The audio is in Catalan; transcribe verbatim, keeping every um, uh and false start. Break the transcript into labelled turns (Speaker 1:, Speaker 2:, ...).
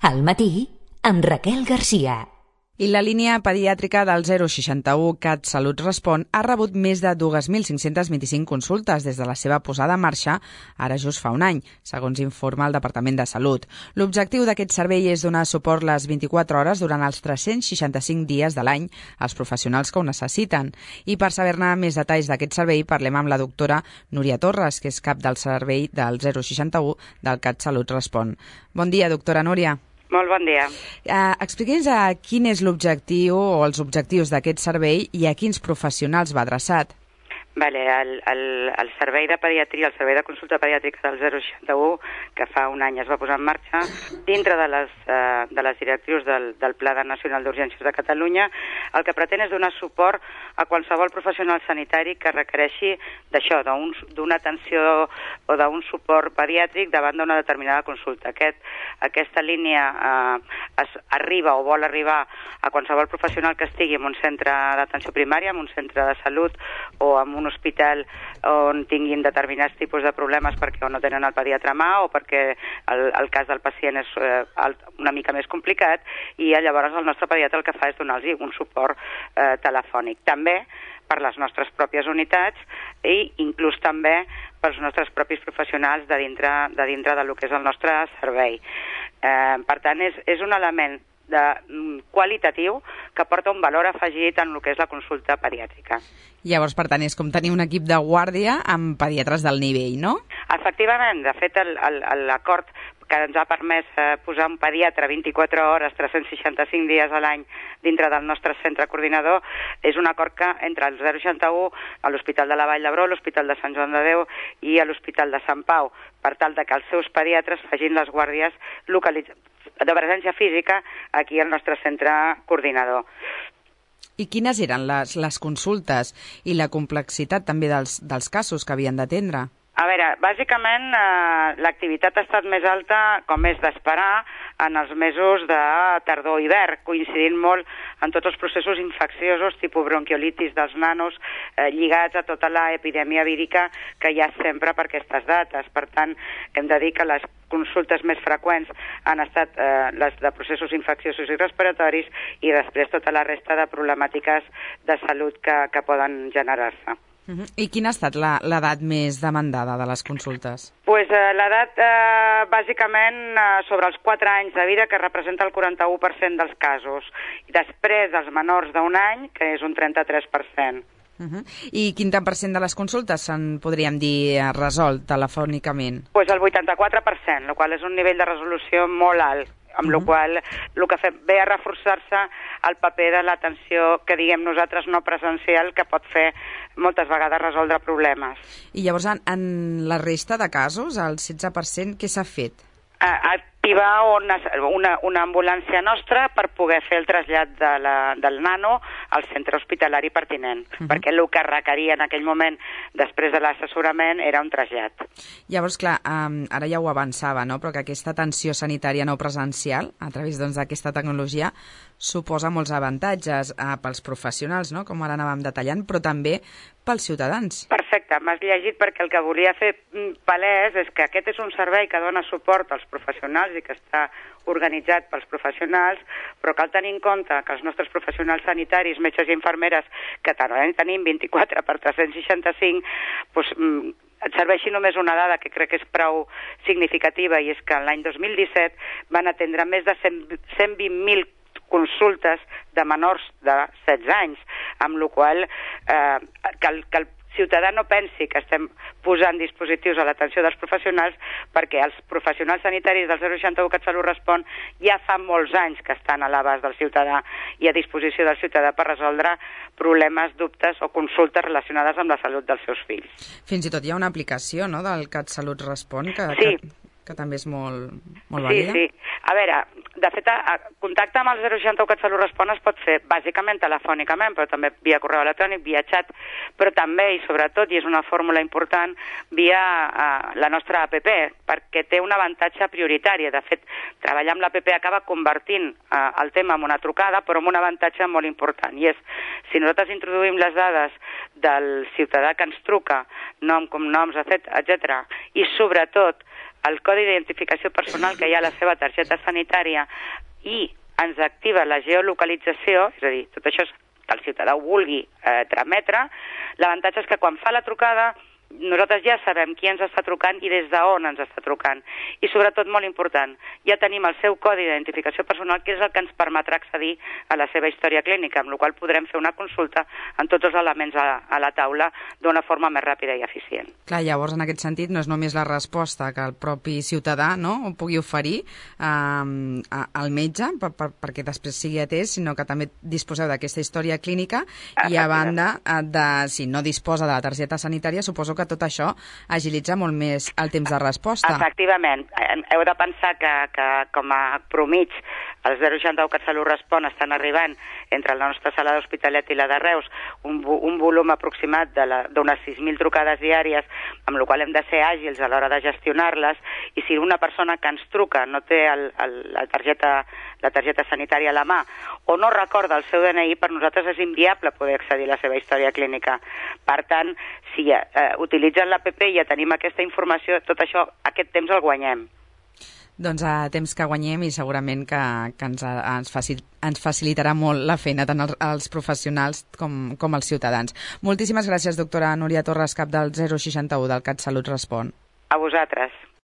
Speaker 1: Al matí, amb Raquel Garcia.
Speaker 2: I la línia pediàtrica del zero seixanta-u CatSalut Respon ha rebut més de dos mil cinc-cents vint-i-cinc consultes des de la seva posada en marxa, ara just fa un any, segons informa el Departament de Salut. L'objectiu d'aquest servei és donar suport les vint-i-quatre hores durant els tres-cents seixanta-cinc dies de l'any als professionals que ho necessiten. I per saber-ne més detalls d'aquest servei, parlem amb la doctora Núria Torres, que és cap del servei del zero seixanta-u del CatSalut Respon. Bon dia, doctora Núria.
Speaker 3: Molt bon dia.
Speaker 2: Uh, Expliqui'ns uh, quin és l'objectiu o els objectius d'aquest servei i a quins professionals va adreçat.
Speaker 3: Vale, el, el, el servei de pediatria, el servei de consulta pediàtrica del zero seixanta-u, que fa un any es va posar en marxa, dintre de les, eh, de les directrius del, del Pla Nacional d'Urgències de Catalunya, el que pretén és donar suport a qualsevol professional sanitari que requereixi d'això, d'una atenció o d'un suport pediàtric davant d'una determinada consulta. Aquest, aquesta línia eh, es arriba o vol arribar a qualsevol professional que estigui en un centre d'atenció primària, en un centre de salut o en un un hospital on tinguin determinats tipus de problemes perquè no tenen el pediatre a mà o perquè el, el cas del pacient és eh, una mica més complicat, i llavors el nostre pediatre el que fa és donar-los un suport eh, telefònic. També per les nostres pròpies unitats i inclús també pels nostres propis professionals de dintre de, dintre de lo que és el nostre servei. Eh, per tant, és, és un element de, qualitatiu que porta un valor afegit en el que és la consulta pediàtrica.
Speaker 2: Llavors, per tant, és com tenir un equip de guàrdia amb pediatres del nivell, no?
Speaker 3: Efectivament, de fet, l'acord que ens ha permès eh, posar un pediatre vint-i-quatre hores, tres-cents seixanta-cinc dies a l'any dintre del nostre centre coordinador és un acord que entre el zero seixanta-u, l'Hospital de la Vall d'Hebron, l'Hospital de Sant Joan de Déu i l'Hospital de Sant Pau, per tal de que els seus pediatres facin les guàrdies localitzades de presència física aquí al nostre centre coordinador.
Speaker 2: I quines eren les, les consultes i la complexitat també dels, dels casos que havien d'atendre?
Speaker 3: A veure, bàsicament eh, l'activitat ha estat més alta, com és d'esperar, en els mesos de tardor-hivern, coincidint molt en tots els processos infecciosos, tipus bronquiolitis dels nanos, eh, lligats a tota l'epidèmia vírica que hi ha sempre per aquestes dates. Per tant, hem de dir que les consultes més freqüents han estat eh, les de processos infecciosos i respiratoris i després tota la resta de problemàtiques de salut que, que poden generar-se.
Speaker 2: Uh-huh. I quina ha estat l'edat més demandada de les consultes?
Speaker 3: Pues, eh, l'edat, eh, bàsicament, eh, sobre els quatre anys de vida, que representa el quaranta-u per cent dels casos. I després, els menors d'un any, que és un trenta-tres per cent.
Speaker 2: Uh-huh. I quin tant per cent de les consultes se'n podríem dir resolt telefònicament?
Speaker 3: Pues el vuitanta-quatre per cent, el qual és un nivell de resolució molt alt, amb uh-huh. la qual el que fe, ve a reforçar-se el paper de l'atenció que diguem nosaltres no presencial, que pot fer moltes vegades resoldre problemes.
Speaker 2: I llavors en, en la resta de casos, el setze per cent, què s'ha fet?
Speaker 3: Activar una, una, una ambulància nostra per poder fer el trasllat de la, del nano al centre hospitalari pertinent, uh-huh. perquè el que requeria en aquell moment, després de l'assessorament, era un trasllat.
Speaker 2: Llavors, clar, um, ara ja ho avançava, no? Però que aquesta atenció sanitària no presencial, a través doncs, d'aquesta tecnologia, suposa molts avantatges uh, pels professionals, no? Com ara anàvem detallant, però també pels ciutadans.
Speaker 3: Perfecte, m'has llegit perquè el que volia fer palès és que aquest és un servei que dona suport als professionals i que està organitzat pels professionals, però cal tenir en compte que els nostres professionals sanitaris, metges i infermeres, que tenim vint-i-quatre per tres-cents seixanta-cinc, doncs, et serveixi només una dada que crec que és prou significativa, i és que l'any dos mil disset van atendre més de cent vint mil consultes de menors de setze anys, amb la qual eh, que, el, que el ciutadà no pensi que estem posant dispositius a l'atenció dels professionals, perquè els professionals sanitaris del zero seixanta-u CatSalut Respon ja fa molts anys que estan a l'abast del ciutadà i a disposició del ciutadà per resoldre problemes, dubtes o consultes relacionades amb la salut dels seus fills.
Speaker 2: Fins i tot hi ha una aplicació, no?, del CatSalut Respon que...
Speaker 3: Sí.
Speaker 2: que... que també és molt, molt
Speaker 3: sí,
Speaker 2: vàlida.
Speaker 3: Sí, sí. A veure, de fet, a, a, contacte amb el zero seixanta-u CatSalut Respon es pot fer bàsicament telefònicament, però també via correu electrònic, via xat, però també i sobretot, i és una fórmula important, via a, la nostra app, perquè té un avantatge prioritari. De fet, treballar amb l'app acaba convertint a, el tema en una trucada, però amb un avantatge molt important, i és, si nosaltres introduïm les dades del ciutadà que ens truca, nom, cognoms, etcètera, i sobretot el codi d'identificació personal que hi ha a la seva targeta sanitària i ens activa la geolocalització, és a dir, tot això que el ciutadà ho vulgui eh, trametre, l'avantatge és que quan fa la trucada nosaltres ja sabem qui ens està trucant i des d'on ens està trucant. I sobretot, molt important, ja tenim el seu codi d'identificació personal, que és el que ens permetrà accedir a la seva història clínica, amb la qual podrem fer una consulta amb tots els elements a, a la taula d'una forma més ràpida i eficient.
Speaker 2: Clar, llavors, en aquest sentit, no és només la resposta que el propi ciutadà, no?, ho pugui oferir eh, al metge per, per, perquè després sigui atès, sinó que també disposeu d'aquesta història clínica i, a banda, de, si no disposa de la targeta sanitària, suposo que que tot això agilitza molt més el temps de resposta.
Speaker 3: Efectivament. Heu de pensar que, que com a promig els zero seixanta u CatSalut Respon estan arribant entre la nostra sala d'Hospitalet i la de Reus un, un volum aproximat d'unes sis mil trucades diàries, amb la qual hem de ser àgils a l'hora de gestionar-les, i si una persona que ens truca no té el, el, la, targeta, la targeta sanitària a la mà o no recorda el seu D N I, per nosaltres és inviable poder accedir a la seva història clínica. Per tant, si eh, utilitzen l'app i ja tenim aquesta informació, tot això, aquest temps el guanyem.
Speaker 2: Doncs a temps que guanyem i segurament que, que ens, ens, facil, ens facilitarà molt la feina tant als, als professionals com, com als ciutadans. Moltíssimes gràcies, doctora Núria Torres, cap del zero seixanta u del CatSalut Respon.
Speaker 3: A vosaltres.